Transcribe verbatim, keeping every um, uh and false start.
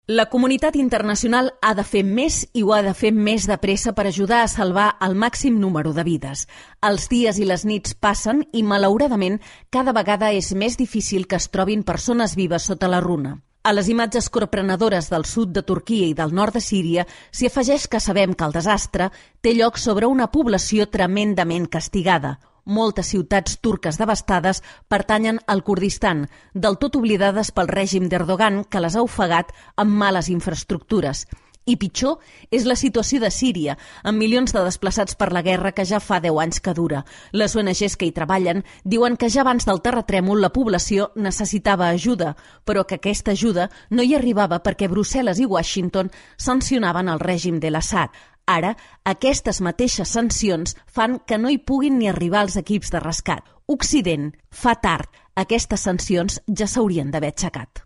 La comunitat internacional ha de fer més i ho ha de fer més de pressa per ajudar a salvar el màxim número de vides. Els dies i les nits passen i, malauradament, cada vegada és més difícil que es trobin persones vives sota la runa. A les imatges corprenedores del sud de Turquia i del nord de Síria s'hi afegeix que sabem que el desastre té lloc sobre una població tremendament castigada. Moltes ciutats turques devastades pertanyen al Kurdistan, del tot oblidades pel règim d'Erdogan, que les ha ofegat amb males infraestructures. I pitjor és la situació de Síria, amb milions de desplaçats per la guerra que ja fa deu anys que dura. Les O N Ges que hi treballen diuen que ja abans del terratrèmol la població necessitava ajuda, però que aquesta ajuda no hi arribava perquè Brussel·les i Washington sancionaven el règim de l'Assad. Ara, aquestes mateixes sancions fan que no hi puguin ni arribar els equips de rescat. Occident fa tard. Aquestes sancions ja s'haurien d'haver aixecat.